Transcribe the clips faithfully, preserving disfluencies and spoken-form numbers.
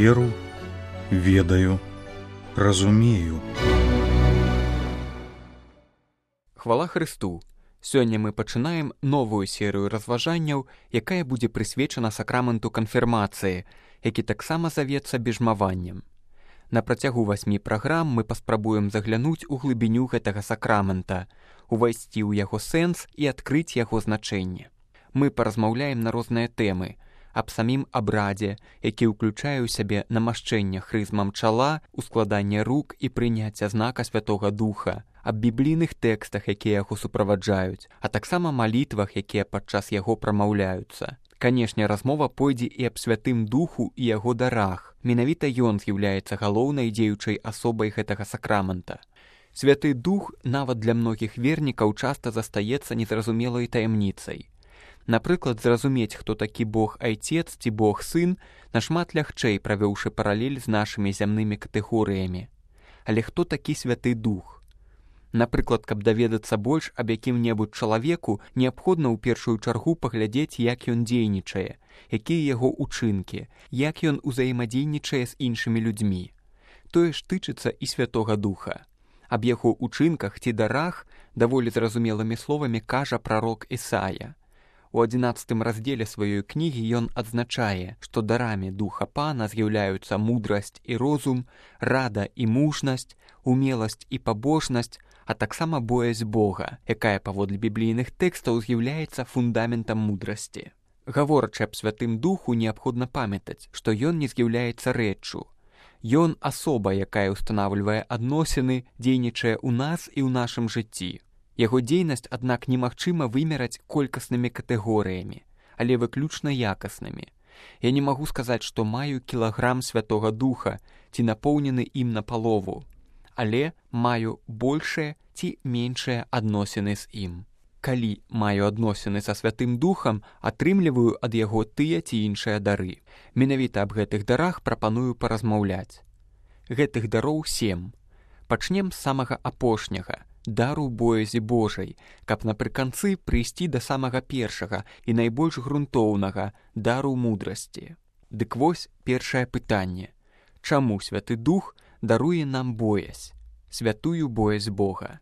веру, ведаю, разумею. Хвала Хрысту! Сёння мы пачынаем новую серыю разважанняў, якая будзе прысвечана сакраменту канфірмацыі, які таксама завецца бежмаваннем. На працягу васьмі праграм мы паспрабуем заглянуць у глыбіню гэтага сакрамента, увайсці ў яго сэнс і адкрыць яго значэнне. Мы паразмаўляем на розныя тэмы, аб самім абрадзе, які ўключае ў сябе намашчэнне хрызмам чала, ускладанне рук і прыняцце знака Святога Духа, аб біблійных тэкстах, якія яго суправаджаюць, а таксама малітвах, якія падчас яго прамаўляюцца. Канешне, размова пойдзе і аб Святым Духу і яго дарах. Менавіта ён з'яўляецца галоўнай дзеючай асобай гэтага сакрамента. Святы Дух нават для многіх вернікаў часта застаецца незразумелай таямніцай. Напрыклад, зразумець, хто такі Бог Айцец ці Бог Сын, нашмат лягчэй, правёўшы паралель з нашымі зямнымі катэгорыямі. Але хто такі Святы Дух? Напрыклад, каб даведацца больш аб якім-небудзь чалавеку, неабходна ў першую чаргу паглядзець, як ён дзейнічае, якія яго ўчынкі, як ён узаемадзейнічае з іншымі людзьмі. Тое ж тычыцца і Святога Духа. Аб яго ўчынках ці дарах даволі зразумелымі словамі кажа прарок Ісая. У адзінаццатым раздзеле сваёй кнігі ён адзначае, што дарамі Духа Пана з'яўляюцца мудрасць і розум, рада і мужнасць, умеласць і пабожнасць, а таксама боязь Бога, якая паводле біблійных тэкстаў з'яўляецца фундаментам мудрасці. Гаворачы аб Святым Духу, неабходна памятаць, што ён не з'яўляецца рэччу. Ён асоба, якая ўстанаўлівае адносіны, дзейнічае ў нас і ў нашым жыцці. Яго дзейнасць, аднак, немагчыма вымераць колькаснымі катэгорыямі, але выключна якаснымі. Я не магу сказаць, што маю кілаграм Святога Духа ці напоўнены ім напалову, але маю большыя ці меншыя адносіны з ім. Калі маю адносіны са Святым Духам, атрымліваю ад яго тыя ці іншыя дары. Менавіта аб гэтых дарах прапаную паразмаўляць. Гэтых дароў сем. Пачнем з самага апошняга, дару боязі Божай, каб напрыканцы прыйсці да самага першага і найбольш грунтоўнага дару мудрасці. Дык вось першае пытанне. Чаму Святы Дух даруе нам боязь, святую боязь Бога?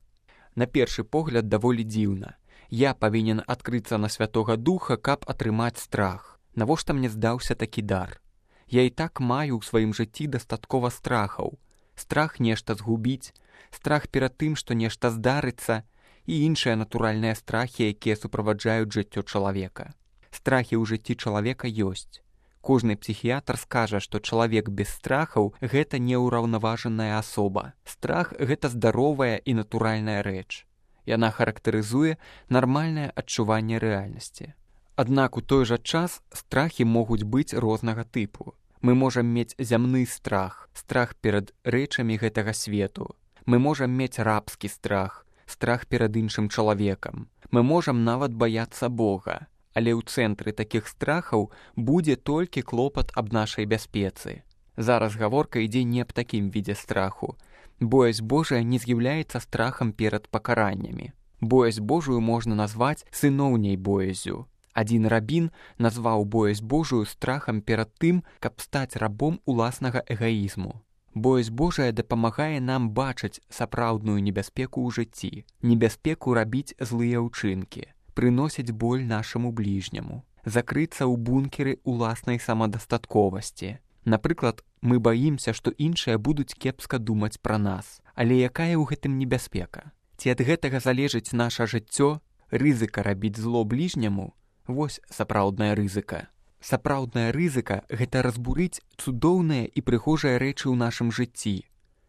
На першы погляд даволі дзіўна. Я павінен адкрыцца на Святога Духа, каб атрымаць страх. Навошта мне здаўся такі дар? Я і так маю ў сваім жыцці дастаткова страхаў. Страх нешта згубіць, страх перад тым, што нешта здарыцца, і іншыя натуральныя страхі, якія суправаджаюць жыццё чалавека. Страхі ў жыцці чалавека ёсць. Кожны псіхіятр скажа, што чалавек без страхаў – гэта неўраўнаважаная асоба. Страх – гэта здаровая і натуральная рэч. Яна характарызуе нармальнае адчуванне рэальнасці. Аднак у той жа час страхі могуць быць рознага тыпу. Мы можам мець зямны страх, страх перад рэчамі гэтага свету. Мы можам мець рабскі страх, страх перад іншым чалавекам. Мы можам нават баяцца Бога. Але ў цэнтры такіх страхаў будзе толькі клопат аб нашай бяспецы. Зараз гаворка ідзе не аб такім відзе страху. Боязь Божая не з'яўляецца страхам перад пакараннямі. Боязь Божую можна назваць сыноўняй боязю. Адзін рабін назваў боязь Божую страхам перад тым, каб стаць рабом уласнага эгаізму. Боязь Божая дапамагае нам бачыць сапраўдную небяспеку ў жыцці, небяспеку рабіць злыя ўчынкі, прыносіць боль нашаму бліжняму, закрыцца ў бункеры уласнай самадастатковасці. Напрыклад, мы баімся, што іншыя будуць кепска думаць пра нас. Але якая ў гэтым небяспека? Ці ад гэтага залежыць наша жыццё? Рызыка рабіць зло бліжняму? Вось сапраўдная рызыка. Сапраўдная рызыка – гэта разбурыць цудоўныя і прыгожыя рэчы ў нашым жыцці.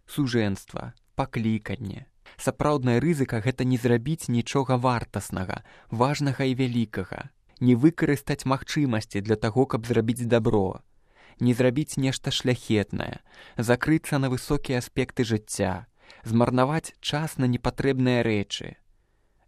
Сужэнства, пакліканне. Сапраўдная рызыка – гэта не зрабіць нічога вартаснага, важнага і вялікага. Не выкарыстаць магчымасці для таго, каб зрабіць дабро. Не зрабіць нешта шляхетнае, закрыцца на высокія аспекты жыцця, змарнаваць час на непатрэбныя рэчы.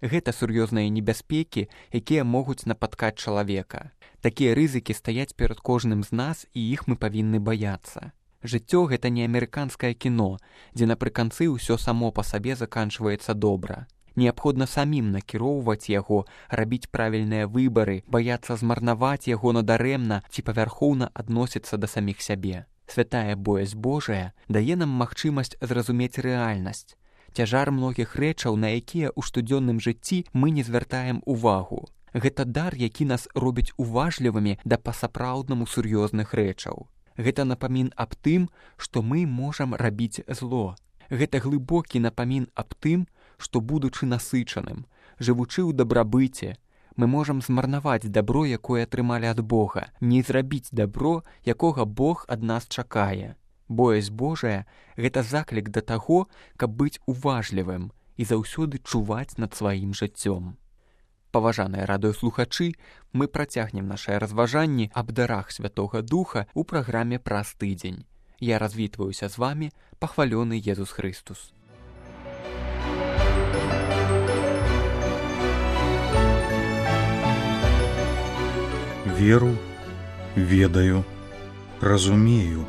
Гэта сур'ёзныя небяспекі, якія могуць напаткаць чалавека. Такія рызыкі стаяць перад кожным з нас, і іх мы павінны баяцца. Жыццё – гэта не амерыканскае кіно, дзе напрыканцы ўсё само па сабе заканчваецца добра. Неабходна самім накіроўваць яго, рабіць правільныя выбары, баяцца змарнаваць яго надарэмна ці павярхоўна адносіцца да саміх сябе. Святая боязь Божая дае нам магчымасць зразумець рэальнасць, цяжар многіх рэчаў, на якія ў штодзённым жыцці мы не звяртаем увагу. Гэта дар, які нас робіць уважлівымі да па-сапраўднаму сур'ёзных рэчаў. Гэта напамін аб тым, што мы можам рабіць зло. Гэта глыбокі напамін аб тым, што, будучы насычаным, жывучы ў дабрабыце, мы можам змарнаваць дабро, якое атрымалі ад Бога, не зрабіць дабро, якога Бог ад нас чакае. Боязь Божая – гэта заклік да таго, каб быць уважлівым і заўсёды чуваць над сваім жыццём. Паважаныя радыёслухачы, мы працягнем нашыя разважанні аб дарах Святога Духа ў праграме «Праз тыдзень». Я развітваюся з вамі, пахвалёны Езус Хрыстус. Веру, ведаю, разумею.